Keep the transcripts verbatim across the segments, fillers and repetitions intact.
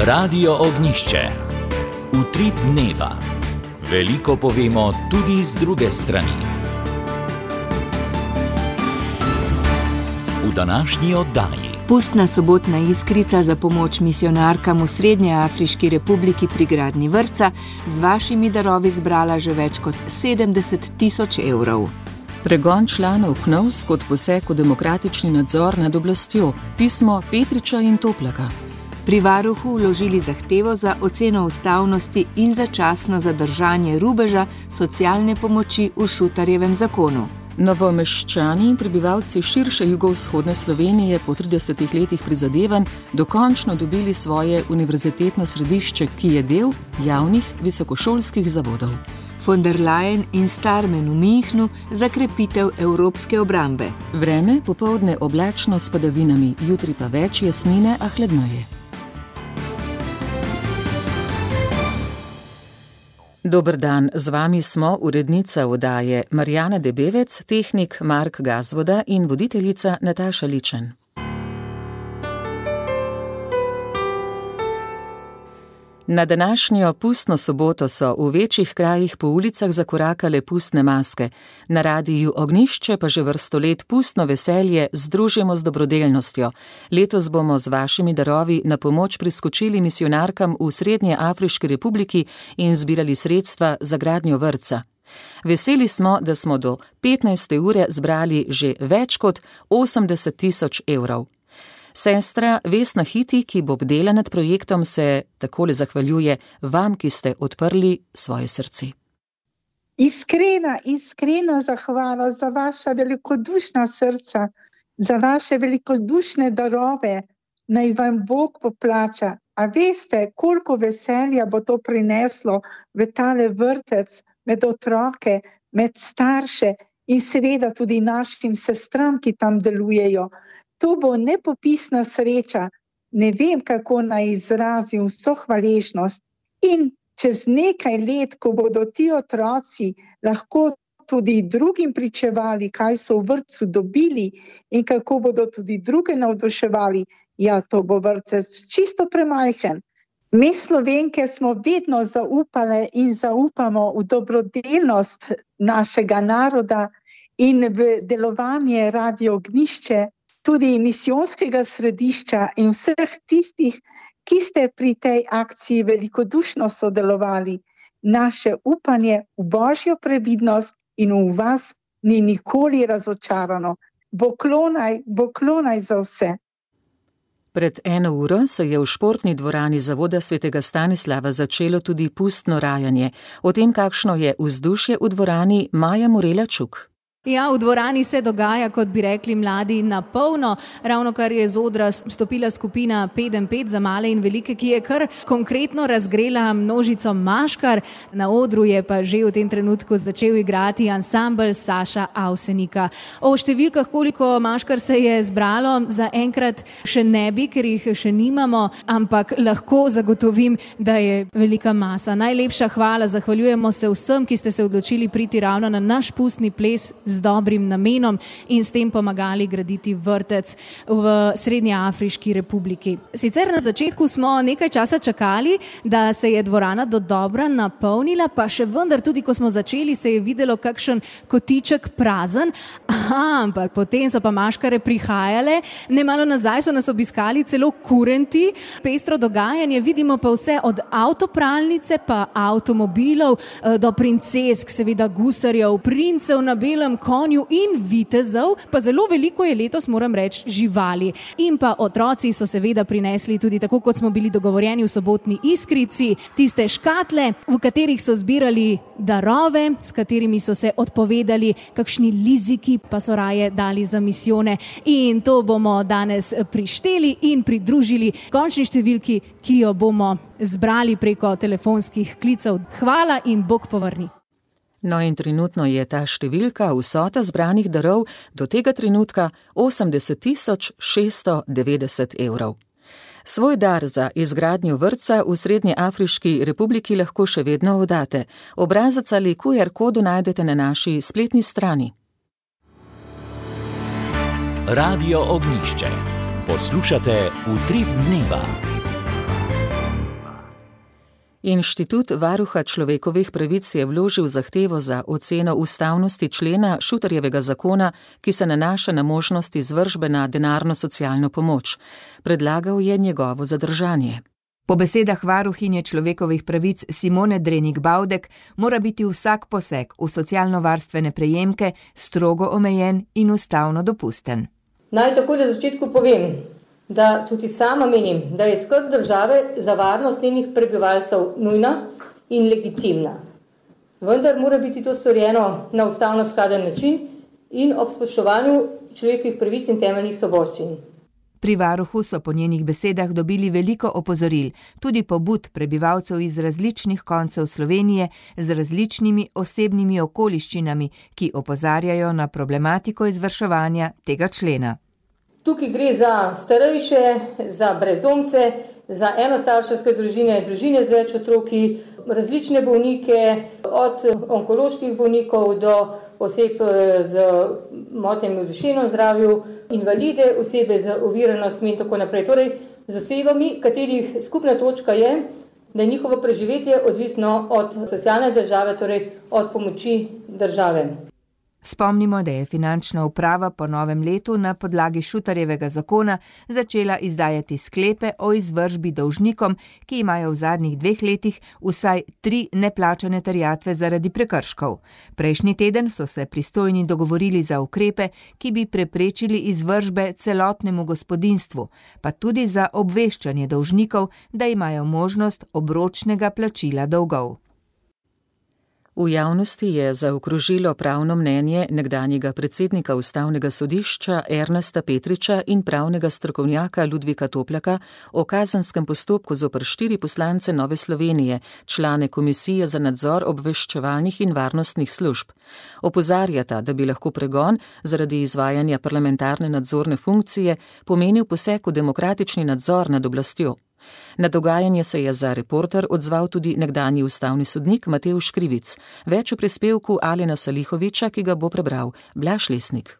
Radio Ognjišče. Utrip dneva. Veliko povemo tudi z druge strani. V današnji oddaji. Pustna sobotna iskrica za pomoč misijonarkam v Srednjeafriški republiki pri gradnji vrtca z vašimi darovi zbrala že več kot sedemdeset tisoč evrov. Pregon članov K N O V S kot poseg v demokratični nadzor nad oblastjo. Pismo Petriča in Toplaka. Pri varuhu vložili zahtevo za oceno ustavnosti in začasno zadržanje rubeža socialne pomoči v Šutarjevem zakonu. Novomeščani in prebivalci širše jugovzhodne Slovenije po tridesetih letih prizadevanj dokončno dobili svoje univerzitetno središče, ki je del javnih visokošolskih zavodov. Von der Leyen in Starmen v Münchnu za krepitev evropske obrambe. Vreme popoldne oblačno s padavinami, jutri pa več jasnine, a hladneje. Dober dan, z vami smo urednica oddaje Marjana Debevec, tehnik Mark Gazvoda in voditeljica Nataša Ličen. Na današnjo pustno soboto so v večjih krajih po ulicah zakorakale pustne maske. Na Radiu Ognjišče pa že vrsto let pustno veselje združimo z dobrodelnostjo. Letos bomo z vašimi darovi na pomoč priskočili misijonarkam v Srednjeafriški republiki in zbirali sredstva za gradnjo vrtca. Veseli smo, da smo do petnajste ure zbrali že več kot osemdeset tisoč evrov. Sestra Vesna Hiti, ki bo bdela nad projektom, se takole zahvaljuje vam, ki ste odprli svoje srce. Iskrena, iskrena zahvala za vaša velikodušna srca, za vaše velikodušne darove, naj vam Bog poplača. A veste, koliko veselja bo to prineslo v tale vrtec, med otroke, med starše in seveda tudi našim sestram, ki tam delujejo. To bo nepopisna sreča, ne vem, kako naj izrazim vso hvaležnost. In čez nekaj let, ko bodo ti otroci lahko tudi drugim pričevali, kaj so v vrtcu dobili in kako bodo tudi druge navduševali, ja, to bo vrtec čisto premajhen. Mi Slovenke smo vedno zaupale in zaupamo v dobrodelnost našega naroda in v delovanje Radio Ognjišče, tudi misijonskega središča in vseh tistih, ki ste pri tej akciji velikodušno sodelovali. Naše upanje v Božjo previdnost in v vas ni nikoli razočarano. Boklonaj, boklonaj za vse. Pred eno uro se je v športni dvorani Zavoda svetega Stanislava začelo tudi pustno rajanje. O tem, kakšno je vzdušje v dvorani, Maja Morela-Čuk. Ja, v dvorani se dogaja, kot bi rekli mladi, na polno. Ravno kar je z odra stopila skupina pet en pet za male in velike, ki je kar konkretno razgrela množico maškar. Na odru je pa že v tem trenutku začel igrati ansambel Saša Avsenika. O številkah, koliko maškar se je zbralo, zaenkrat še ne bi, ker jih še nimamo, ampak lahko zagotovim, da je velika masa. Najlepša hvala, zahvaljujemo se vsem, ki ste se odločili priti ravno na naš pustni ples z dobrim namenom in s tem pomagali graditi vrtec v Srednjeafriški republiki. Sicer na začetku smo nekaj časa čakali, da se je dvorana dodobra napolnila, pa še vendar tudi, ko smo začeli, se je videlo kakšen kotiček prazen, aha, ampak potem so pa maškare prihajale, nemalo nazaj so nas obiskali celo kurenti, pestro dogajanje, vidimo pa vse od avtopralnice pa avtomobilov do princesk, seveda gusarjev, princev na belem konju in vitezov, pa zelo veliko je letos, moram reči, živali. In pa otroci so seveda prinesli tudi, tako kot smo bili dogovorjeni v sobotni iskrici, tiste škatle, v katerih so zbirali darove, s katerimi so se odpovedali, kakšni liziki pa so raje dali za misijone. In to bomo danes prišteli in pridružili končni številki, ki jo bomo zbrali preko telefonskih klicev. Hvala in Bog povrni. No in trenutno je ta številka, vsota zbranih darov, do tega trenutka osemdeset tisoč šeststo devetdeset evrov. Svoj dar za izgradnjo vrtca v Srednjeafriški republiki lahko še vedno oddate. Obrazec ali Q R kodo najdete na naši spletni strani. Radio Ognjišče. Poslušate Utrip dneva. Inštitut varuha človekovih pravic je vložil zahtevo za oceno ustavnosti člena Šutarjevega zakona, ki se nanaša na možnost izvršbe na denarno socialno pomoč. Predlagal je njegovo zadržanje. Po besedah varuhinje človekovih pravic Simone Drenik Bavdek mora biti vsak poseg v socialno-varstvene prejemke strogo omejen in ustavno dopusten. Naj takoj na začetku povem, da tudi sama menim, da je skrb države za varnost njenih prebivalcev nujna in legitimna. Vendar mora biti to storjeno na ustavno skladen način in ob spoštovanju človekovih pravic in temeljnih svoboščin. Pri varuhu so po njenih besedah dobili veliko opozoril, tudi pobud prebivalcev iz različnih koncev Slovenije z različnimi osebnimi okoliščinami, ki opozarjajo na problematiko izvrševanja tega člena. Tukaj gre za starejše, za brezdomce, za enostarševske družine, družine z več otroki, različne bolnike, od onkoloških bolnikov do oseb z motnjami v duševnem zdravju, invalide, osebe z oviranostmi in tako naprej. Torej, z osebami, katerih skupna točka je, da je njihovo preživetje odvisno od socialne države, torej od pomoči države. Spomnimo, da je finančna uprava po novem letu na podlagi Šutarjevega zakona začela izdajati sklepe o izvršbi dolžnikom, ki imajo v zadnjih dveh letih vsaj tri neplačane terjatve zaradi prekrškov. Prejšnji teden so se pristojni dogovorili za ukrepe, ki bi preprečili izvršbe celotnemu gospodinjstvu, pa tudi za obveščanje dolžnikov, da imajo možnost obročnega plačila dolgov. V javnosti je zaokrožilo pravno mnenje nekdanjega predsednika Ustavnega sodišča Ernesta Petriča in pravnega strokovnjaka Ludvika Toplaka o kazenskem postopku zoper štiri poslance Nove Slovenije, člane Komisije za nadzor obveščevalnih in varnostnih služb. Opozarjata, da bi lahko pregon zaradi izvajanja parlamentarne nadzorne funkcije pomenil poseg v demokratični nadzor nad oblastjo. Na dogajanje se je za Reporter odzval tudi nekdanji ustavni sodnik Matevž Krivic. Več v prispevku Alena Salihoviča, ki ga bo prebral Blaž Lesnik.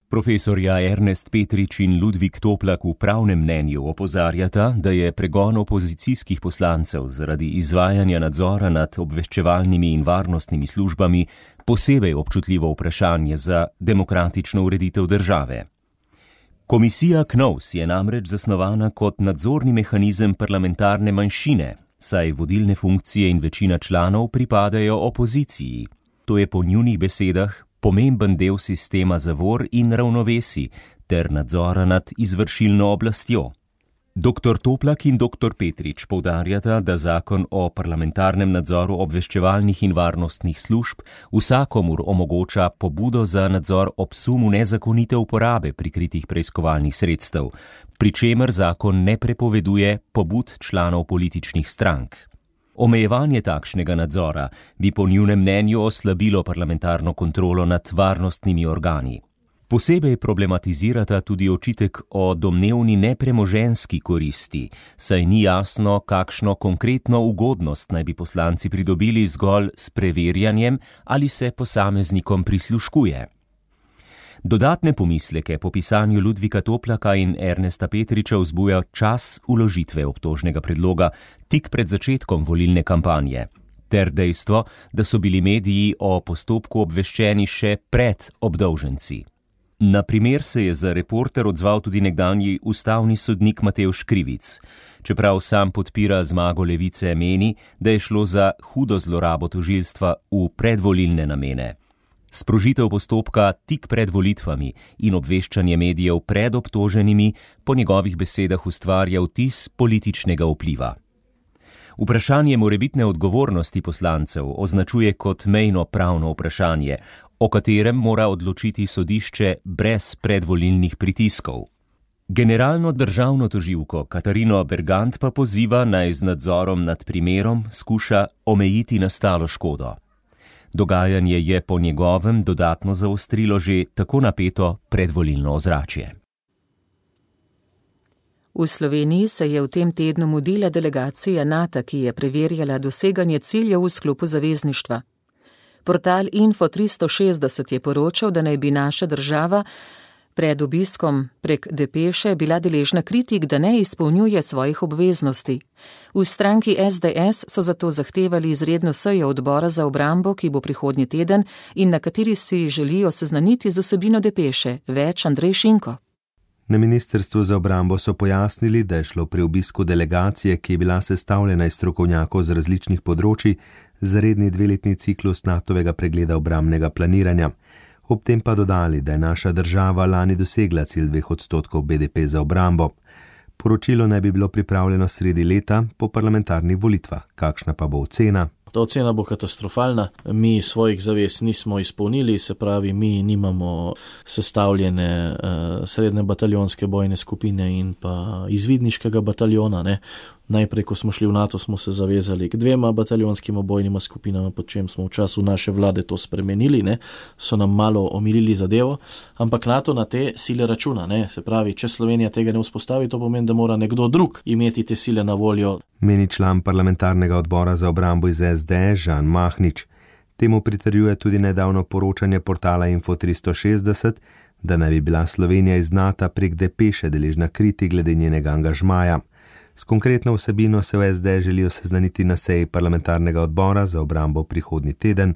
Profesorja Ernest Petrič in Ludvik Toplak v pravnem mnenju opozarjata, da je pregon opozicijskih poslancev zaradi izvajanja nadzora nad obveščevalnimi in varnostnimi službami posebej občutljivo vprašanje za demokratično ureditev države. Komisija KNOVS je namreč zasnovana kot nadzorni mehanizem parlamentarne manjšine, saj vodilne funkcije in večina članov pripadajo opoziciji. To je po njunih besedah pomemben del sistema zavor in ravnovesij ter nadzora nad izvršilno oblastjo. Doktor Toplak in doktor Petrič poudarjata, da zakon o parlamentarnem nadzoru obveščevalnih in varnostnih služb vsakomur omogoča pobudo za nadzor ob sumu nezakonite uporabe prikritih preiskovalnih sredstev, pri čemer zakon ne prepoveduje pobud članov političnih strank. Omejevanje takšnega nadzora bi po njunem mnenju oslabilo parlamentarno kontrolo nad varnostnimi organi. Posebej problematizirata tudi očitek o domnevni nepremoženjski koristi, saj ni jasno, kakšno konkretno ugodnost naj bi poslanci pridobili zgolj s preverjanjem ali se posameznikom prisluškuje. Dodatne pomisleke po pisanju Ludvika Toplaka in Ernesta Petriča vzbuja čas vložitve obtožnega predloga tik pred začetkom volilne kampanje, ter dejstvo, da so bili mediji o postopku obveščeni še pred obdolženci. Na primer se je za Reporter odzval tudi nekdanji ustavni sodnik Matevž Krivic. Čeprav sam podpira zmago levice, meni, da je šlo za hudo zlorabo tožilstva v predvolilne namene. Sprožitev postopka tik pred volitvami in obveščanje medijev pred obtoženimi po njegovih besedah ustvarja vtis političnega vpliva. Vprašanje morebitne odgovornosti poslancev označuje kot mejno pravno vprašanje, o katerem mora odločiti sodišče brez predvolilnih pritiskov. Generalno državno tožilko Katarino Bergant pa poziva, naj z nadzorom nad primerom skuša omejiti nastalo škodo. Dogajanje je po njegovem dodatno zaostrilo že tako napeto predvolilno ozračje. V Sloveniji se je v tem tednu mudila delegacija NATO, ki je preverjala doseganje ciljev v sklopu zavezništva. Portal Info tristo šestdeset je poročal, da naj bi naša država Pred obiskom prek depeše bila deležna kritik, da ne izpolnjuje svojih obveznosti. V stranki es de es so zato zahtevali izredno sejo odbora za obrambo, ki bo prihodnji teden in na kateri si želijo seznaniti z vsebino depeše. Več Andrej Šinko. Na ministrstvu za obrambo so pojasnili, da je šlo pri obisku delegacije, ki je bila sestavljena iz strokovnjakov z različnih področij, za redni dveletni ciklus Natovega pregleda obrambnega planiranja. Ob tem pa dodali, da je naša država lani dosegla cilj dveh odstotkov be de pe za obrambo. Poročilo naj bi bilo pripravljeno sredi leta po parlamentarnih volitvah. Kakšna pa bo ocena? Ta ocena bo katastrofalna. Mi svojih zavez nismo izpolnili, se pravi, mi nimamo sestavljene uh, srednje bataljonske bojne skupine in pa izvidniškega bataljona. Ne. Najprej, ko smo šli v NATO, smo se zavezali k dvema bataljonskima bojnima skupinama, pod čem smo v času naše vlade to spremenili, ne. So nam malo omilili zadevo, ampak NATO na te sile računa. Ne. Se pravi, če Slovenija tega ne vzpostavi, to pomeni, da mora nekdo drug imeti te sile na voljo. Meni član parlamentarnega odbora za obrambo iz es de es Žan Mahnič. Temu pritrjuje tudi nedavno poročanje portala Info tristo šestdeset, da naj bi bila Slovenija iz NATO prek depeše deležna kritik glede njenega angažmaja. S konkretno vsebino se v es de es želijo seznaniti na seji parlamentarnega odbora za obrambo prihodnji teden.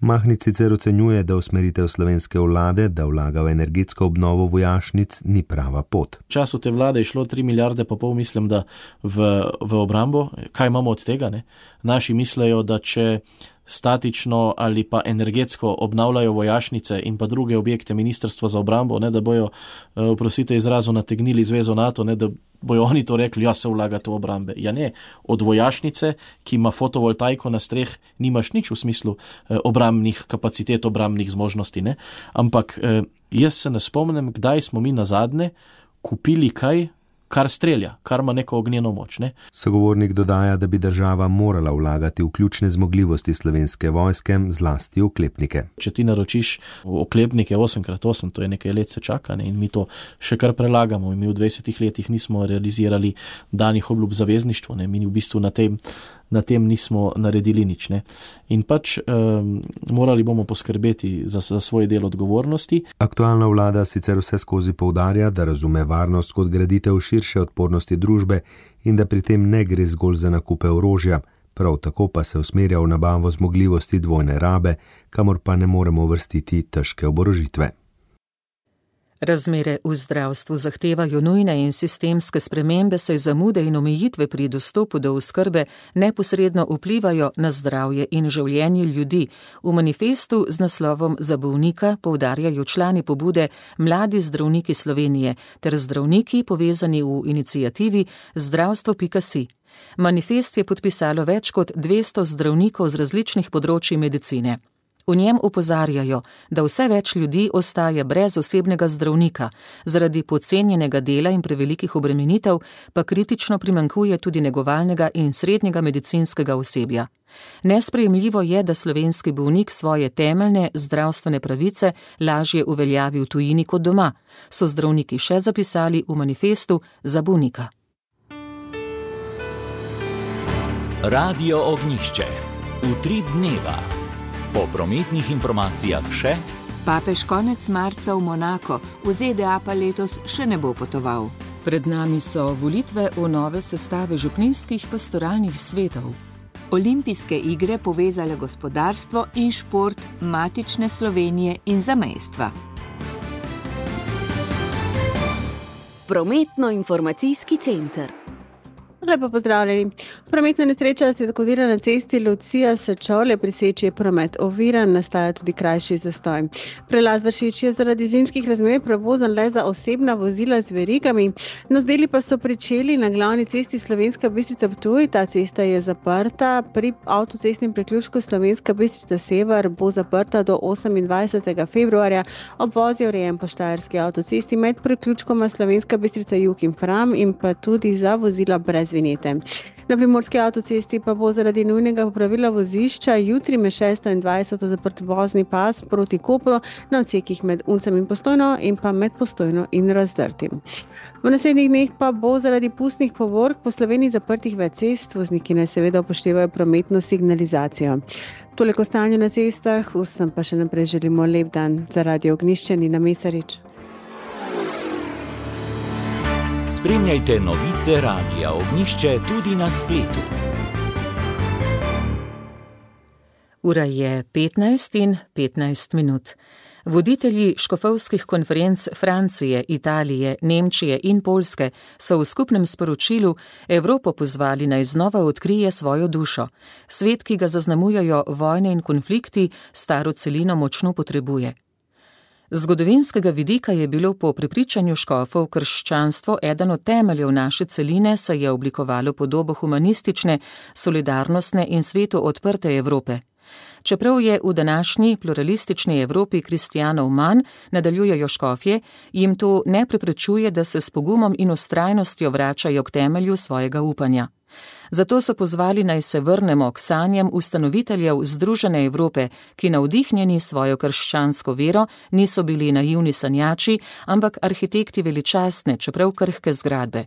Mahnič sicer ocenjuje, da usmeritev slovenske vlade, da vlaga v energetsko obnovo vojašnic, ni prava pot. V času te vlade je šlo tri milijarde pa pol, mislim, da v, v obrambo. Kaj imamo od tega? Ne? Naši mislejo, da če statično ali pa energetsko obnavljajo vojašnice in pa druge objekte ministrstva za obrambo, ne, da bojo, oprostite izrazu, nategnili zvezo NATO, ne, da bojo oni to rekli, ja, se vlagate v obrambe. Ja ne, od vojašnice, ki ima fotovoltaiko na streh, nimaš nič v smislu eh, obrambnih kapacitet, obrambnih zmožnosti, ne. Ampak eh, jaz se ne spomnim, kdaj smo mi nazadnje kupili kaj, kar strelja, kar ima neko ognjeno moč. Ne? Sogovornik dodaja, da bi država morala vlagati v ključne zmogljivosti slovenske vojske, zlasti oklepnike. Če ti naročiš oklepnike osem krat osem, to je nekaj let se čaka, ne? In mi to še kar prelagamo. In mi v dvajsetih letih nismo realizirali danih obljub zavezništvu, ne? Mi v bistvu na tem, na tem nismo naredili nič. Ne? In pač um, morali bomo poskrbeti za, za svoj del odgovornosti. Aktualna vlada sicer vse skozi poudarja, da razume varnost kot graditev širše odpornosti družbe in da pri tem ne gre zgolj za nakupe orožja, prav tako pa se usmerja v nabavo zmogljivosti dvojne rabe, kamor pa ne moremo vrstiti težke oborožitve. Razmere v zdravstvu zahtevajo nujne in sistemske spremembe, saj zamude in omejitve pri dostopu do oskrbe neposredno vplivajo na zdravje in življenje ljudi. V manifestu z naslovom Za bolnika poudarjajo člani pobude Mladi zdravniki Slovenije ter zdravniki povezani v iniciativi zdravstvo pika si. Manifest je podpisalo več kot dvesto zdravnikov z različnih področij medicine. V njem opozarjajo, da vse več ljudi ostaja brez osebnega zdravnika, zaradi podcenjenega dela in prevelikih obremenitev pa kritično primanjkuje tudi negovalnega in srednjega medicinskega osebja. Nesprejemljivo je, da slovenski bolnik svoje temeljne zdravstvene pravice lažje uveljavi v tujini kot doma, so zdravniki še zapisali v manifestu Za bolnika. Radio Ognjišče. Utrip dneva. Po prometnih informacijah še. Papež konec marca v Monako, v ze de a pa letos še ne bo potoval. Pred nami so volitve v nove sestave župnijskih pastoralnih svetov. Olimpijske igre povezale gospodarstvo in šport matične Slovenije in zamejstva. Prometno-informacijski center. Lepo pozdravljeni. Prometna nesreča se je zgodila na cesti Lucija Sečovlje, pri Seči je promet oviran, nastaja tudi krajši zastoj. Prelaz Vršič je zaradi zimskih razmer prevozen le za osebna vozila z verigami, no z deli pa so pričeli na glavni cesti Slovenska Bistrica-Ptuj. Ta cesta je zaprta, pri avtocestnem priključku Slovenska Bistrica-Sever bo zaprta do osemindvajsetega februarja. Obvoz je urejen po štajerski avtocesti med priključkoma Slovenska Bistrica-Jug in Fram in pa tudi za vozila brez vinjete. Na primorski avtocesti pa bo zaradi nujnega popravila vozišča jutri med šesto in dvajseto zaprt vozni pas proti Kopru na odsekih med Uncem in Postojno in pa med Postojno in Razdrtim. V naslednjih dneh pa bo zaradi pustnih povork po Sloveniji zaprtih več cest, vozniki naj seveda upoštevajo prometno signalizacijo. Toliko stanju na cestah, vsem pa še naprej želimo lep dan. Za Radio Ognjišče Nina Mesarič. Spremljajte novice Radia Ognišče tudi na spletu. Ura je petnajst in petnajst minut. Voditelji škofovskih konferenc Francije, Italije, Nemčije in Poljske so v skupnem sporočilu Evropo pozvali naj znova odkrije svojo dušo. Svet, ki ga zaznamujajo vojne in konflikti, staro celino močno potrebuje. Z zgodovinskega vidika je bilo po prepričanju škofov krščanstvo eden od temeljev naše celine, saj je oblikovalo podobo humanistične, solidarnostne in svetu odprte Evrope. Čeprav je v današnji pluralistični Evropi kristjanov manj, nadaljujejo škofje, jim to ne preprečuje, da se s pogumom in vztrajnostjo vračajo k temelju svojega upanja. Zato so pozvali naj se vrnemo k sanjam ustanoviteljev Združene Evrope, ki navdihnjeni svojo krščansko vero niso bili naivni sanjači, ampak arhitekti veličastne, čeprav krhke zgradbe.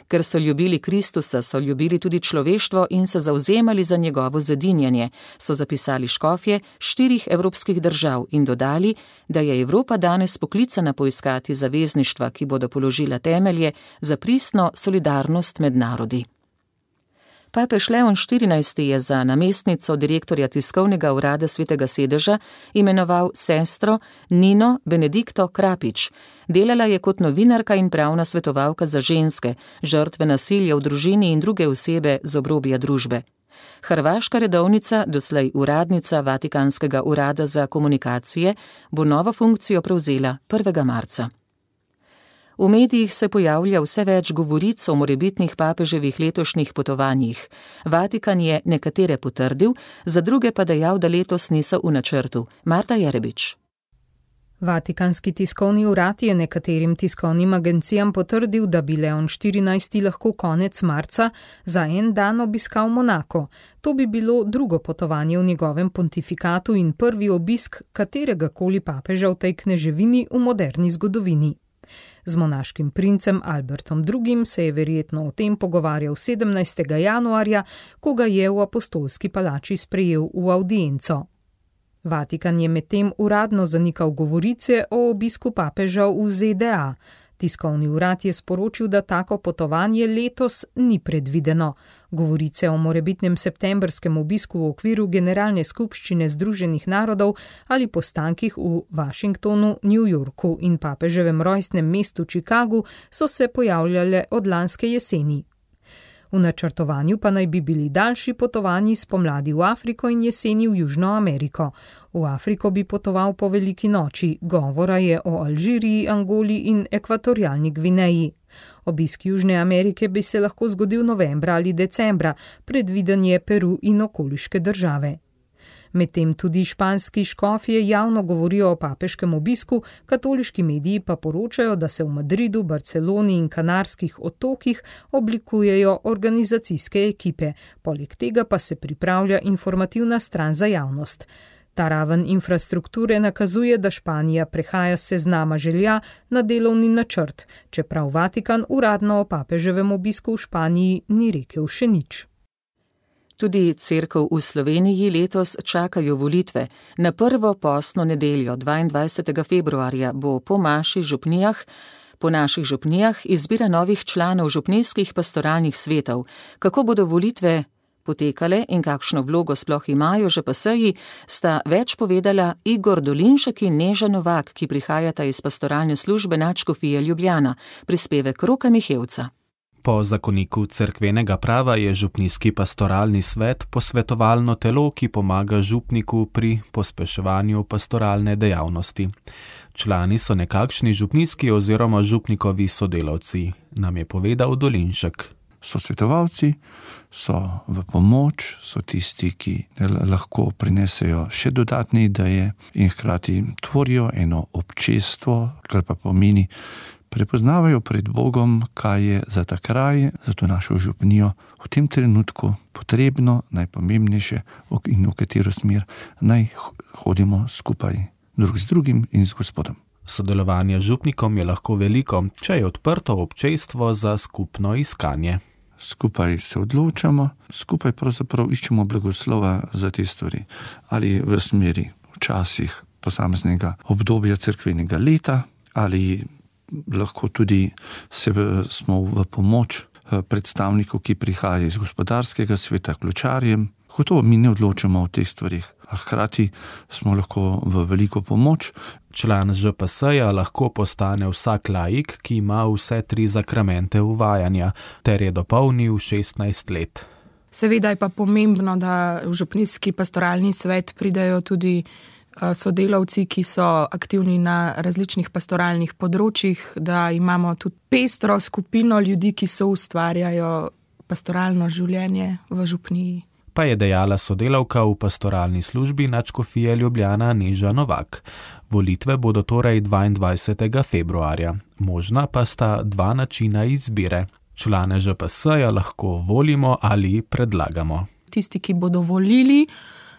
Ker so ljubili Kristusa, so ljubili tudi človeštvo in se zavzemali za njegovo zedinjanje, so zapisali škofje štirih evropskih držav in dodali, da je Evropa danes poklicana poiskati zavezništva, ki bodo položila temelje za pristno solidarnost med narodi. Papež Leon štirinajsti je za namestnico direktorja tiskovnega urada Svetega sedeža imenoval sestro Nino Benedikto Krapič. Delala je kot novinarka in pravna svetovalka za ženske, žrtve nasilja v družini in druge osebe z obrobja družbe. Hrvaška redovnica, doslej uradnica Vatikanskega urada za komunikacije, bo novo funkcijo prevzela prvega marca. V medijih se pojavlja vse več govoric o morebitnih papeževih letošnjih potovanjih. Vatikan je nekatere potrdil, za druge pa dejal, da letos niso v načrtu. Marta Jerebič. Vatikanski tiskovni urad je nekaterim tiskovnim agencijam potrdil, da bi Leon štirinajsti lahko konec marca za en dan obiskal Monako. To bi bilo drugo potovanje v njegovem pontifikatu in prvi obisk katerega koli papeža v tej kneževini v moderni zgodovini. Z monaškim princem Albertom drugim se je verjetno o tem pogovarjal sedemnajstega januarja, ko ga je v apostolski palači sprejel v avdienco. Vatikan je medtem uradno zanikal govorice o obisku papeža v Z D A. Tiskovni urad je sporočil, da tako potovanje letos ni predvideno. Govorice o morebitnem septembrskem obisku v okviru Generalne skupščine Združenih narodov ali postankih v Washingtonu, New Yorku in papeževem rojstnem mestu Chicagu so se pojavljale od lanske jeseni. V načrtovanju pa naj bi bili daljši potovanji spomladi v Afriko in jeseni v Južno Ameriko. V Afriko bi potoval po veliki noči, govora je o Alžiriji, Angoli in ekvatorialni Gvineji. Obisk Južne Amerike bi se lahko zgodil novembra ali decembra, predviden je Peru in okoliške države. Medtem tudi španski škofje javno govorijo o papeškem obisku, katoliški mediji pa poročajo, da se v Madridu, Barceloni in Kanarskih otokih oblikujejo organizacijske ekipe. Poleg tega pa se pripravlja informativna stran za javnost. Ta raven infrastrukture nakazuje, da Španija prehaja s seznama želja na delovni načrt, čeprav Vatikan uradno o papeževem obisku v Španiji ni rekel še nič. Tudi cerkev v Sloveniji letos čakajo volitve. Na prvo postno nedeljo, dvaindvajsetega februarja, bo po maši župnijah, po naših župnijah izbira novih članov župnijskih pastoralnih svetov. Kako bodo volitve potekale in kakšno vlogo sploh imajo že paseji, sta več povedala Igor Dolinšek in Neža Novak, ki prihajata iz pastoralne službe Nadškofije Ljubljana, prispevek Roka Mihevca. Po zakoniku cerkvenega prava je župnijski pastoralni svet posvetovalno telo, ki pomaga župniku pri pospeševanju pastoralne dejavnosti. Člani so nekakšni župnijski oziroma župnikovi sodelavci, nam je povedal Dolinšek. So svetovalci, so v pomoč, so tisti, ki lahko prinesejo še dodatne ideje in hkrati tvorijo eno občestvo, kar pa pomeni, prepoznavajo pred Bogom, kaj je za ta kraj, za to našo župnijo v tem trenutku potrebno, najpomembnejše in v katero smer naj hodimo skupaj drug z drugim in z Gospodom. Sodelovanje z župnikom je lahko veliko, če je odprto občestvo za skupno iskanje. Skupaj se odločamo, skupaj pravzaprav iščemo blagoslova za te stvari. Ali v smeri včasih posameznega obdobja cerkvenega leta, ali lahko tudi se, smo v pomoč predstavnikov, ki prihajajo iz gospodarskega sveta, ključarjem. Gotovo mi ne odločamo o teh stvarih, a hkrati smo lahko v veliko pomoč. Član Ž P S-ja lahko postane vsak laik, ki ima vse tri zakramente uvajanja, ter je dopolnil šestnajst let. Seveda je pa pomembno, da v župnijski pastoralni svet pridejo tudi sodelavci, ki so aktivni na različnih pastoralnih področjih, da imamo tudi pestro skupino ljudi, ki so ustvarjajo pastoralno življenje v župniji. Pa je dejala sodelavka v pastoralni službi nadškofije Ljubljana Neža Novak. Volitve bodo torej dvaindvajsetega februarja. Možna pa sta dva načina izbire. Člane Ž P S-ja lahko volimo ali predlagamo. Tisti, ki bodo volili,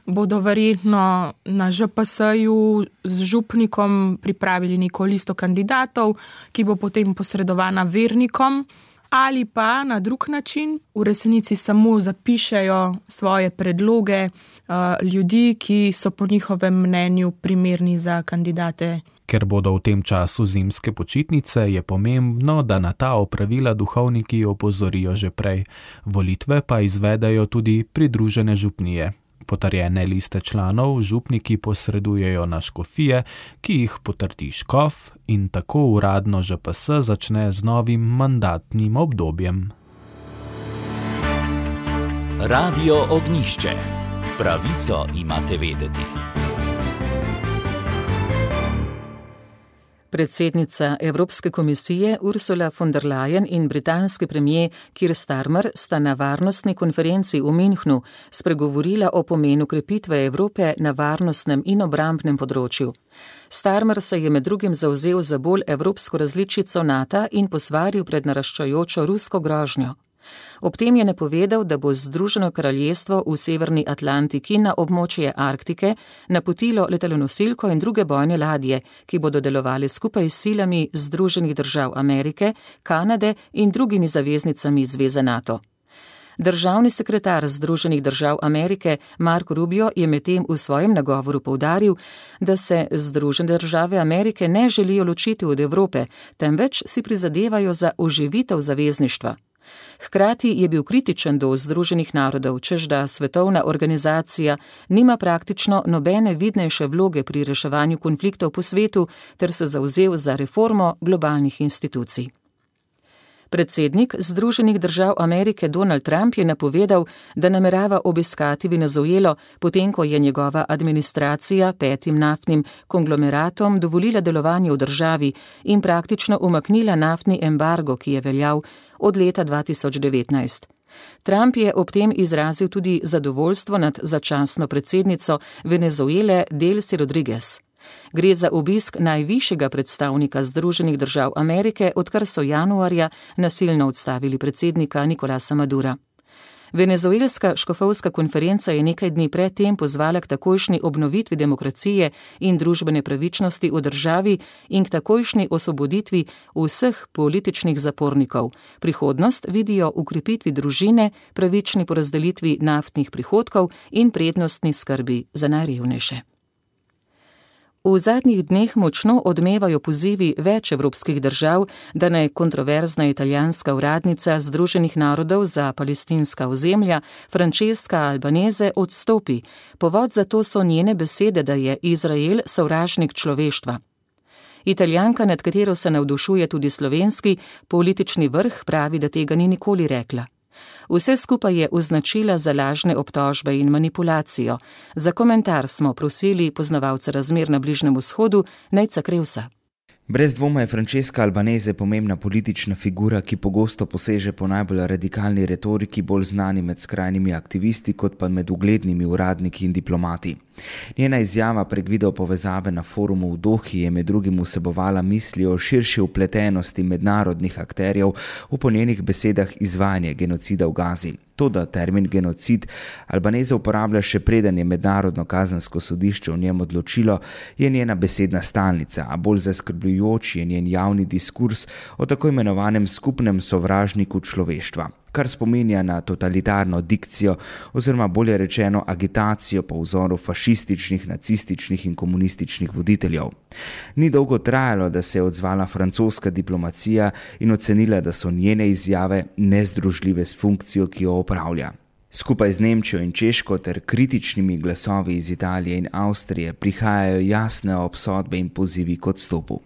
bodo verjetno na Ž P S-ju z župnikom pripravili neko listo kandidatov, ki bo potem posredovana vernikom, ali pa na drug način v resnici samo zapišejo svoje predloge uh, ljudi, ki so po njihovem mnenju primerni za kandidate. Ker bodo v tem času zimske počitnice, je pomembno, da na ta opravila duhovniki opozorijo že prej. Volitve pa izvedajo tudi pridružene župnije. Potrjene liste članov župniki posredujejo na škofije, ki jih potrdi škof, in tako uradno Ž P S začne z novim mandatnim obdobjem. Radio Ognjišče. Pravico imate vedeti. Predsednica Evropske komisije Ursula von der Leyen in britanski premier Keir Starmer sta na varnostni konferenci v Münchnu spregovorila o pomenu krepitve Evrope na varnostnem in obrambnem področju. Starmer se je med drugim zavzel za bolj evropsko različico Nata in posvaril pred naraščajočo rusko grožnjo. Ob tem je napovedal, da bo Združeno kraljestvo v severni Atlantiki na območje Arktike napotilo letalonosilko in druge bojne ladje, ki bodo delovali skupaj s silami Združenih držav Amerike, Kanade in drugimi zaveznicami zveze NATO. Državni sekretar Združenih držav Amerike Marco Rubio je medtem v svojem nagovoru poudaril, da se Združene države Amerike ne želijo ločiti od Evrope, temveč si prizadevajo za oživitev zavezništva. Hkrati je bil kritičen do Združenih narodov, češ da svetovna organizacija nima praktično nobene vidnejše vloge pri reševanju konfliktov po svetu ter se zavzel za reformo globalnih institucij. Predsednik Združenih držav Amerike Donald Trump je napovedal, da namerava obiskati Venezuelo, potem ko je njegova administracija petim naftnim konglomeratom dovolila delovanje v državi in praktično umaknila naftni embargo, ki je veljal od leta dva tisoč devetnajst. Trump je ob tem izrazil tudi zadovoljstvo nad začasno predsednico Venezuele Delcy Rodriguez. Gre za obisk najvišjega predstavnika Združenih držav Amerike, odkar so januarja nasilno odstavili predsednika Nicolasa Madura. Venezuelska škofovska konferenca je nekaj dni pred tem pozvala k takojšnji obnovitvi demokracije in družbene pravičnosti v državi in k takojšnji osvoboditvi vseh političnih zapornikov. Prihodnost vidijo v krepitvi družine, pravični porazdelitvi naftnih prihodkov in prednostni skrbi za najrevnejše. V zadnjih dneh močno odmevajo pozivi več evropskih držav, da naj kontroverzna italijanska uradnica Združenih narodov za palestinska ozemlja Francesca Albanese odstopi. Povod za to so njene besede, da je Izrael sovražnik človeštva. Italijanka, nad katero se navdušuje tudi slovenski politični vrh, pravi, da tega ni nikoli rekla. Vse skupaj je označila za lažne obtožbe in manipulacijo. Za komentar smo prosili poznavalca razmer na Bližnjem vzhodu, Nejca Krevsa. Brez dvoma je Francesca Albanese pomembna politična figura, ki pogosto poseže po najbolj radikalni retoriki, bolj znani med skrajnimi aktivisti kot pa med uglednimi uradniki in diplomati. Njena izjava prek video povezave na forumu v Dohi je med drugim vsebovala misli o širši vpletenosti mednarodnih akterjev v po njenih besedah izvajanje genocida v Gazi. To, da termin genocid Albanese uporablja še preden je mednarodno kazensko sodišče v njem odločilo, je njena besedna stalnica, a bolj zaskrbljujoč je njen javni diskurs o tako imenovanem skupnem sovražniku človeštva. kar spominja na totalitarno dikcijo oziroma bolje rečeno agitacijo po vzoru fašističnih, nacističnih in komunističnih voditeljev. Ni dolgo trajalo, da se je odzvala francoska diplomacija in ocenila, da so njene izjave nezdružljive s funkcijo, ki jo opravlja. Skupaj z Nemčijo in Češko ter kritičnimi glasovi iz Italije in Avstrije prihajajo jasne obsodbe in pozivi k odstopu.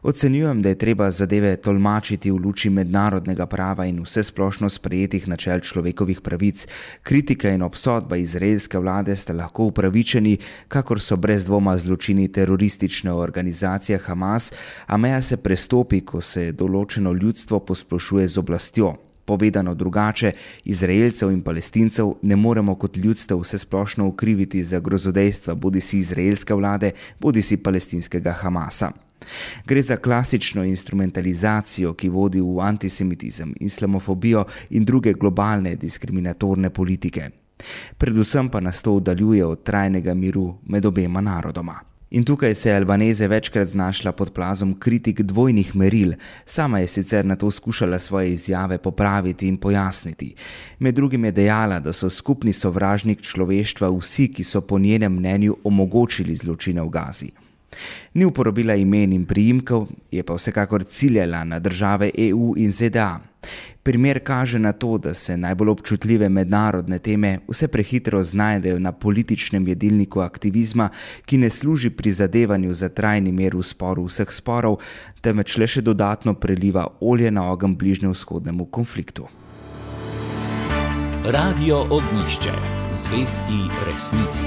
Ocenjujem, da je treba zadeve tolmačiti v luči mednarodnega prava in vsesplošno sprejetih načel človekovih pravic. Kritika in obsodba izraelske vlade sta lahko upravičeni, kakor so brez dvoma zločini teroristične organizacije Hamas, a meja se prestopi, ko se določeno ljudstvo posplošuje z oblastjo. Povedano drugače, Izraelcev in Palestincev ne moremo kot ljudstev vsesplošno ukriviti za grozodejstva bodisi izraelske vlade, bodisi palestinskega Hamasa. Gre za klasično instrumentalizacijo, ki vodi v antisemitizem, islamofobijo in druge globalne diskriminatorne politike. Predvsem pa nas to oddaljuje od trajnega miru med obema narodoma. In tukaj se je Albanese večkrat znašla pod plazom kritik dvojnih meril. Sama je sicer na to skušala svoje izjave popraviti in pojasniti. Med drugim je dejala, da so skupni sovražnik človeštva vsi, ki so po njenem mnenju omogočili zločine v Gazi. Ni uporabila imen in priimkov, je pa vsekakor ciljala na države E U in Z D A. Primer kaže na to, da se najbolj občutljive mednarodne teme vse prehitro znajdejo na političnem jedilniku aktivizma, ki ne služi prizadevanju za trajni mir v sporu vseh sporov, temveč le še dodatno preliva olje na ogenj bližnjevzhodnemu konfliktu. Radio Ognjišče, zvesti resnici.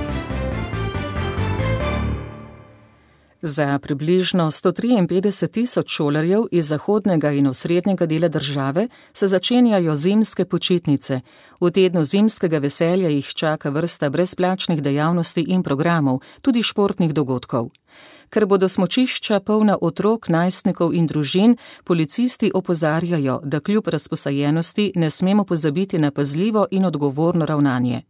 Za približno sto triinpetdeset tisoč šolarjev iz zahodnega in osrednjega dela države se začenjajo zimske počitnice. V tednu zimskega veselja jih čaka vrsta brezplačnih dejavnosti in programov, tudi športnih dogodkov. Ker bodo smučišča polna otrok, najstnikov in družin, policisti opozarjajo, da kljub razposajenosti ne smemo pozabiti na pazljivo in odgovorno ravnanje.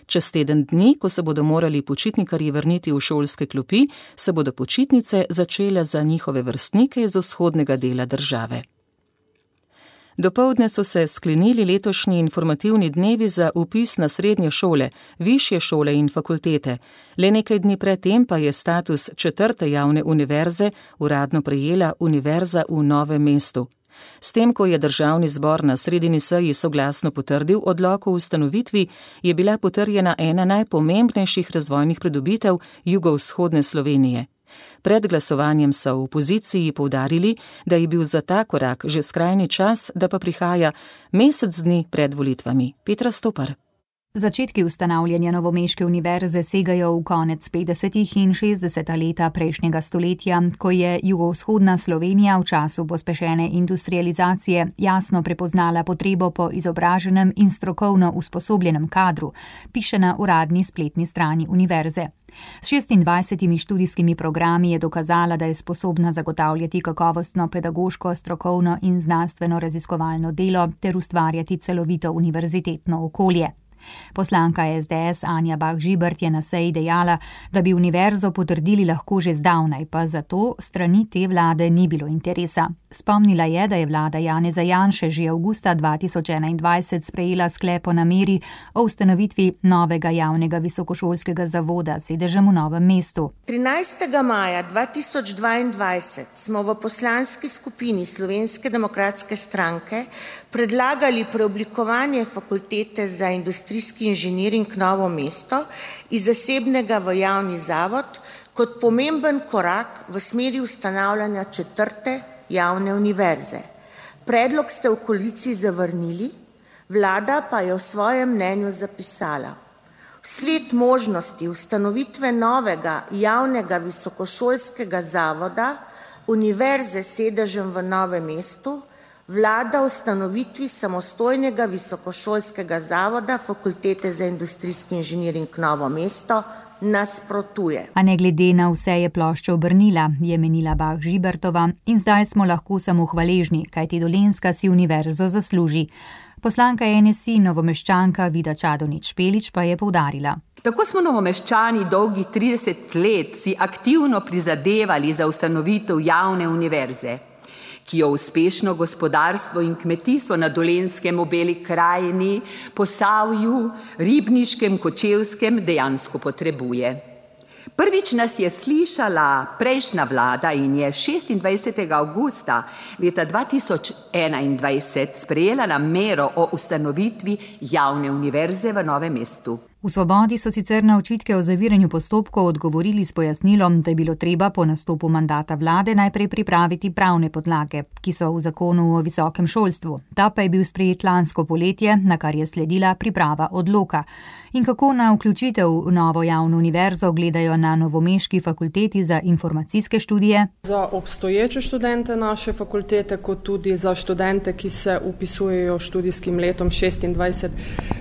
Čez teden dni, ko se bodo morali počitnikarji vrniti v šolske klopi, se bodo počitnice začele za njihove vrstnike iz vzhodnega dela države. Dopoldne so se sklenili letošnji informativni dnevi za vpis na srednje šole, višje šole in fakultete. Le nekaj dni pred tem pa je status četrte javne univerze uradno prejela Univerza v Novem mestu. S tem, ko je državni zbor na sredini seji soglasno potrdil odlok o ustanovitvi, je bila potrjena ena najpomembnejših razvojnih pridobitev jugovzhodne Slovenije. Pred glasovanjem so v opoziciji poudarili, da je bil za ta korak že skrajni čas, da pa prihaja mesec dni pred volitvami. Petra Stopar. Začetki ustanavljanja novomeške univerze segajo v konec petdesetih in šestdeseta leta prejšnjega stoletja, ko je jugovzhodna Slovenija v času pospešene industrializacije jasno prepoznala potrebo po izobraženem in strokovno usposobljenem kadru, piše na uradni spletni strani univerze. S šestindvajsetimi študijskimi programi je dokazala, da je sposobna zagotavljati kakovostno pedagoško, strokovno in znanstveno raziskovalno delo ter ustvarjati celovito univerzitetno okolje. Poslanka S D S Anja Bah Žibert je na seji dejala, da bi univerzo potrdili lahko že zdavnaj, pa zato strani te vlade ni bilo interesa. Spomnila je, da je vlada Janeza Janše že avgusta dva tisoč enaindvajset sprejela sklep o nameri o ustanovitvi novega javnega visokošolskega zavoda s sedežem v Novem mestu. trinajstega maja dva tisoč dvaindvajset smo v poslanski skupini Slovenske demokratske stranke predlagali preoblikovanje fakultete za industrijski inženiring Novo mesto iz zasebnega v javni zavod kot pomemben korak v smeri ustanavljanja četrte javne univerze. Predlog ste v koaliciji zavrnili, vlada pa je v svojem mnenju zapisala: vsled možnosti ustanovitve novega javnega visokošolskega zavoda univerze s sedežem v Novem mestu vlada ustanovitvi samostojnega visokošolskega zavoda Fakultete za industrijski inženiring Novo mesto nasprotuje. A ne glede na vse je plošča obrnila, je menila Bah Žibertova, in zdaj smo lahko samo hvaležni, kajti Dolenjska si univerzo zasluži. Poslanka N S I novomeščanka Vida Čadonič Špelič pa je poudarila: tako smo novomeščani dolgih trideset let si aktivno prizadevali za ustanovitev javne univerze, ki jo uspešno gospodarstvo in kmetijstvo na Dolenjskem, v Beli krajini, Posavju, Ribniškem, Kočevskem dejansko potrebuje. Prvič nas je slišala prejšnja vlada in je šestindvajsetega avgusta leta dva tisoč enaindvajset sprejela namero o ustanovitvi javne univerze v Novem mestu. V Svobodi so sicer na očitke o zaviranju postopkov odgovorili s pojasnilom, da je bilo treba po nastopu mandata vlade najprej pripraviti pravne podlage, ki so v zakonu o visokem šolstvu. Ta pa je bil sprejet lansko poletje, na kar je sledila priprava odloka. In kako na vključitev v novo javno univerzo gledajo na novomeški fakulteti za informacijske študije? Za obstoječe študente naše fakultete, kot tudi za študente, ki se upisujejo študijskim letom šestindvajset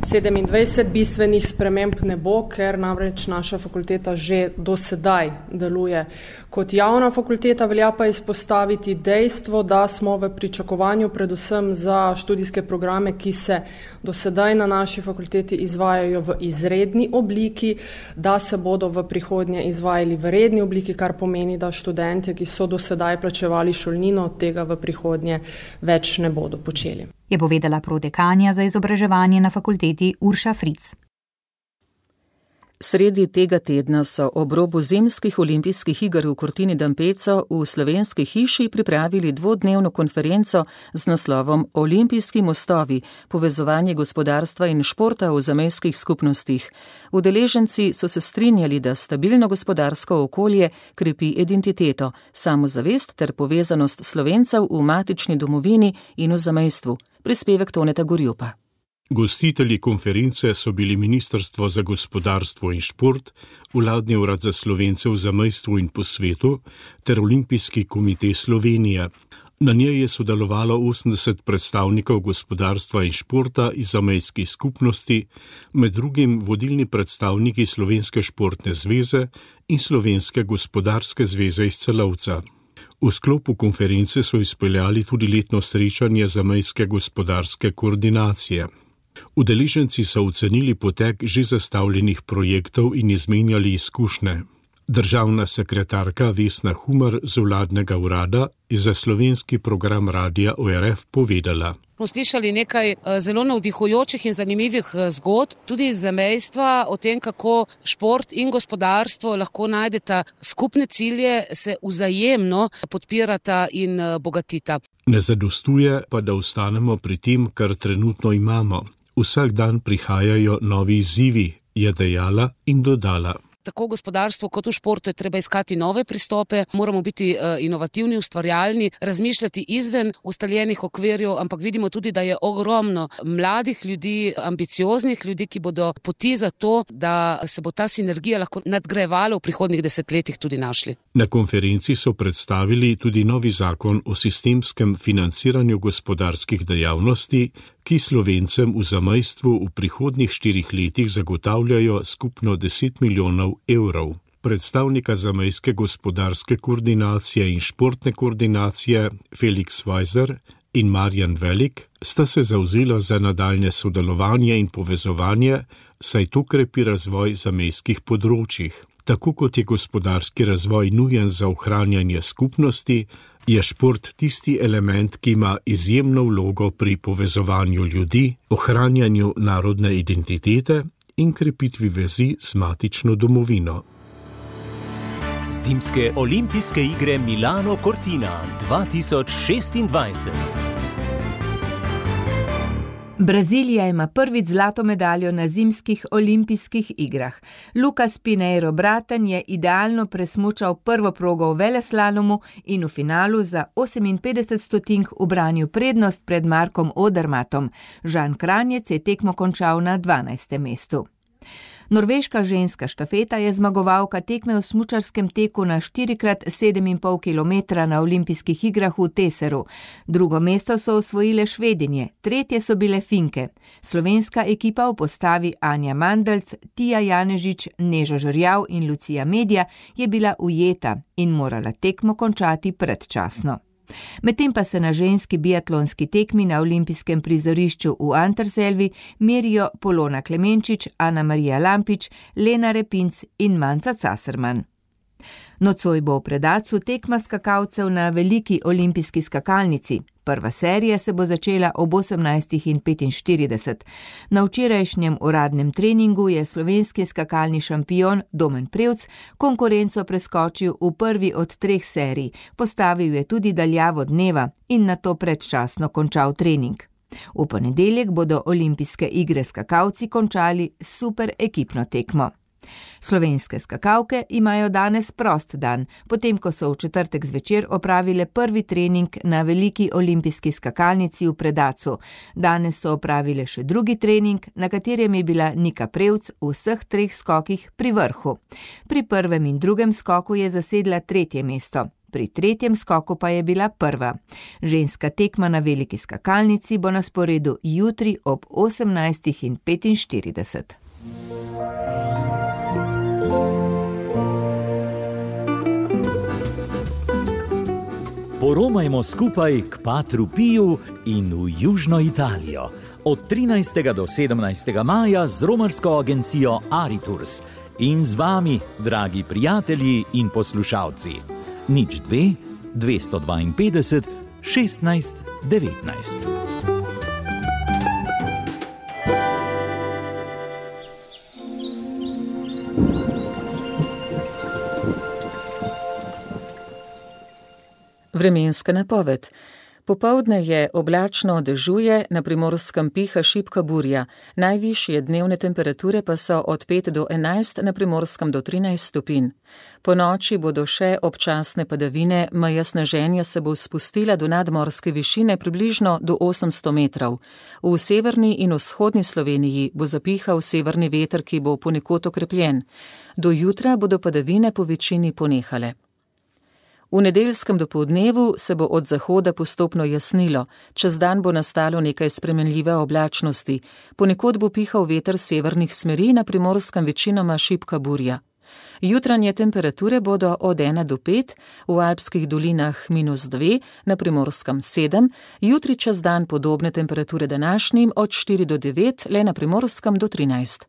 sedemindvajset, bistvenih sprememb ne bo, ker namreč naša fakulteta že do sedaj deluje kot javna fakulteta. Velja pa izpostaviti dejstvo, da smo v pričakovanju predvsem za študijske programe, ki se do sedaj na naši fakulteti izvajajo v izredni obliki, da se bodo v prihodnje izvajali v redni obliki, kar pomeni, da študentje, ki so do sedaj plačevali šolnino, tega v prihodnje več ne bodo počeli. Je povedala prodekanja za izobraževanje na fakulteti Urša Fric. Sredi tega tedna so ob robu zimskih olimpijskih iger v Cortina d'Ampezzo v Slovenski hiši pripravili dvodnevno konferenco z naslovom Olimpijski mostovi, povezovanje gospodarstva in športa v zamejskih skupnostih. Udeleženci so se strinjali, da stabilno gospodarsko okolje krepi identiteto, samozavest ter povezanost Slovencev v matični domovini in v zamejstvu. Prispevek Toneta Gorjupa. Gostitelji konference so bili Ministrstvo za gospodarstvo in šport, Vladni urad za Slovence v zamejstvu in po svetu ter Olimpijski komite Slovenije. Na njej je sodelovalo osemdeset predstavnikov gospodarstva in športa iz zamejskih skupnosti, med drugim vodilni predstavniki Slovenske športne zveze in Slovenske gospodarske zveze iz Celovca. V sklopu konference so izpeljali tudi letno srečanje zamejske gospodarske koordinacije. Udeleženci so ocenili potek že zastavljenih projektov in izmenjali izkušnje. Državna sekretarka Vesna Humar z vladnega urada je za slovenski program Radia O R F povedala. Smo slišali nekaj zelo navdihujočih in zanimivih zgodb, tudi iz zamejstva o tem, kako šport in gospodarstvo lahko najdeta skupne cilje, se vzajemno podpirata in bogatita. Ne zadostuje pa, da ostanemo pri tem, kar trenutno imamo. Vsak dan prihajajo novi izzivi, je dejala in dodala. Tako gospodarstvo kot v športu je treba iskati nove pristope, moramo biti inovativni, ustvarjalni, razmišljati izven ustaljenih okvirjev, ampak vidimo tudi, da je ogromno mladih ljudi, ambicioznih ljudi, ki bodo poti za to, da se bo ta sinergija lahko nadgrajevala v prihodnjih desetletjih tudi našli. Na konferenci so predstavili tudi novi zakon o sistemskem financiranju gospodarskih dejavnosti, ki Slovencem v zamejstvu v prihodnjih štirih letih zagotavljajo skupno deset milijonov evrov. Predstavnika zamejske gospodarske koordinacije in športne koordinacije Felix Weiser in Marjan Velik sta se zavzela za nadaljne sodelovanje in povezovanje, saj to krepi razvoj zamejskih področjih. Tako kot je gospodarski razvoj nujen za ohranjanje skupnosti, je šport tisti element, ki ima izjemno vlogo pri povezovanju ljudi, ohranjanju narodne identitete in krepitvi vezi z matično domovino. Zimske olimpijske igre Milano Cortina dva tisoč šestindvajset. Brazilija ima prvič zlato medaljo na zimskih olimpijskih igrah. Lucas Pinheiro Braten je idealno presmučal prvo progo v veleslalomu in v finalu za oseminpetdeset stotink ubranil prednost pred Markom Odermatom. Žan Kranjec je tekmo končal na dvanajstem mestu. Norveška ženska štafeta je zmagovalka tekme v smučarskem teku na štiri krat sedem in pol kilometra na olimpijskih igrah v Teseru. Drugo mesto so osvojile Švedinje, tretje so bile Finke. Slovenska ekipa v postavi Anja Mandelc, Tija Janežič, Neža Žerjav in Lucija Medja je bila ujeta in morala tekmo končati predčasno. Medtem pa se na ženski biatlonski tekmi na olimpijskem prizorišču v Anterselvi merijo Polona Klemenčič, Ana Marija Lampič, Lena Repinc in Manca Caserman. Nocoj bo v Predacu tekma skakalcev na veliki olimpijski skakalnici. Prva serija se bo začela ob osemnajstih petinštirideset. Na včerajšnjem uradnem treningu je slovenski skakalni šampion Domen Prevc konkurenco preskočil v prvi od treh serij, postavil je tudi daljavo dneva in nato predčasno končal trening. V ponedeljek bodo olimpijske igre skakalci končali s super ekipno tekmo. Slovenske skakalke imajo danes prost dan, potem ko so v četrtek zvečer opravile prvi trening na veliki olimpijski skakalnici v Predacu. Danes so opravile še drugi trening, na katerem je bila Nika Prevc v vseh treh skokih pri vrhu. Pri prvem in drugem skoku je zasedla tretje mesto. Pri tretjem skoku pa je bila prva. Ženska tekma na veliki skakalnici bo na sporedu jutri ob osemnajstih petinštirideset. Poromajmo skupaj k Patru Piju in v Južno Italijo. Od trinajstega do sedemnajstega maja z romarsko agencijo Ariturs in z vami, dragi prijatelji in poslušalci. Nič dve, dvesto dvainpetdeset, šestnajst, devetnajst. Vremenska napoved. Popoldne je oblačno, dežuje, na Primorskem piha šibka burja. Najvišje dnevne temperature pa so od pet do enajst, na Primorskem do trinajst stopinj. Po noči bodo še občasne padavine, meja sneženja se bo spustila do nadmorske višine približno do osemsto metrov. V severni in vzhodni Sloveniji bo zapihal severni veter, ki bo ponekod okrepljen. Do jutra bodo padavine po večini ponehale. V nedeljskem dopoldnevu se bo od zahoda postopno jasnilo, čez dan bo nastalo nekaj spremenljive oblačnosti, ponekod bo pihal veter severnih smeri, na Primorskem večinoma šibka burja. Jutranje temperature bodo od ena do pet, v alpskih dolinah minus dve, na Primorskem sedem, jutri čez dan podobne temperature današnjim od štiri do devet, le na Primorskem do trinajst.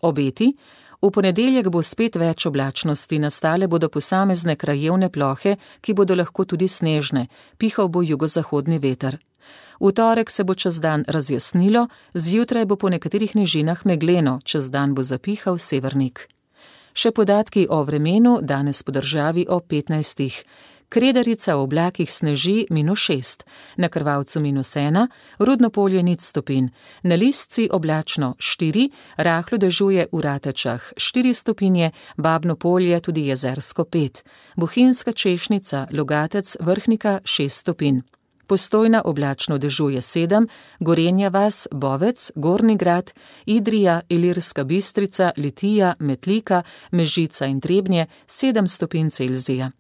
Obeti. V ponedeljek bo spet več oblačnosti, nastale bodo posamezne krajevne plohe, ki bodo lahko tudi snežne, pihal bo jugozahodni veter. V torek se bo čez dan razjasnilo, zjutraj bo po nekaterih nižinah megleno, čez dan bo zapihal severnik. Še podatki o vremenu danes po državi o petnajstih. Kredarica v oblakih sneži minus šest, na Krvavcu minus ena, Rudno polje nič stopinj, na Listci oblačno štiri, rahlo dežuje v Ratečah štiri stopinje, Babno polje tudi jezersko pet, Bohinjska češnica, Logatec, Vrhnika šest stopinj. Postojna oblačno dežuje sedem, Gorenja vas, Bovec, Gornji Grad, Idrija, Ilirska Bistrica, Litija, Metlika, Mežica in Trebnje sedem stopinj Celzija.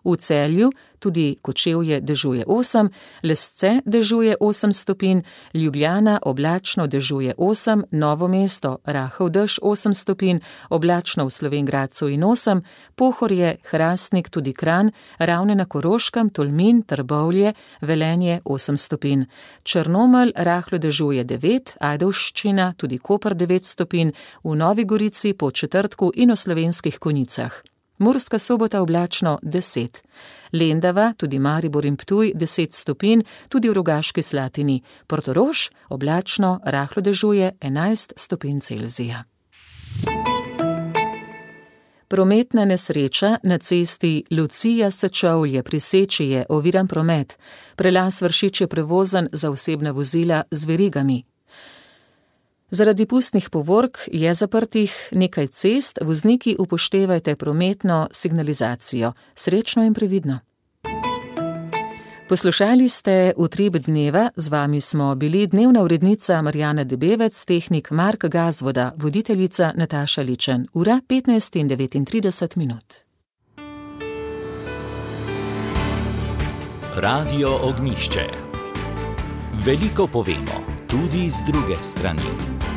V Celju tudi Kočevje dežuje osem, Lesce dežuje osem stopinj, Ljubljana oblačno dežuje osem, Novo mesto rahel dež osem stopinj, oblačno v Slovenj Gradcu in osem, Pohorje, Hrastnik, tudi Kranj, Ravne na Koroškem, Tolmin, Trbovlje, Velenje osem stopinj. Črnomelj rahlo dežuje devet, Ajdovščina, tudi Koper devet stopinj, v Novi Gorici, Podčetrtku in v Slovenskih Konjicah. Murska Sobota oblačno deset. Lendava, tudi Maribor in Ptuj deset stopinj, tudi v Rogaški Slatini. Portorož oblačno, rahlo dežuje enajst stopinj Celzija. Prometna nesreča na cesti Lucija-Sečovlje pri Seči je oviran promet. Prelaz Vršič je prevozen za osebna vozila z verigami. Zaradi pustnih povork je zaprtih nekaj cest, vozniki upoštevajte prometno signalizacijo. Srečno in previdno. Poslušali ste Utrip dneva, z vami smo bili dnevna urednica Marjana Debevec, tehnik Mark Gazvoda, voditeljica Nataša Ličen. Ura petnajst in devetintrideset minut. Radio Ognjišče. Veliko povemo, tudi z druge strani.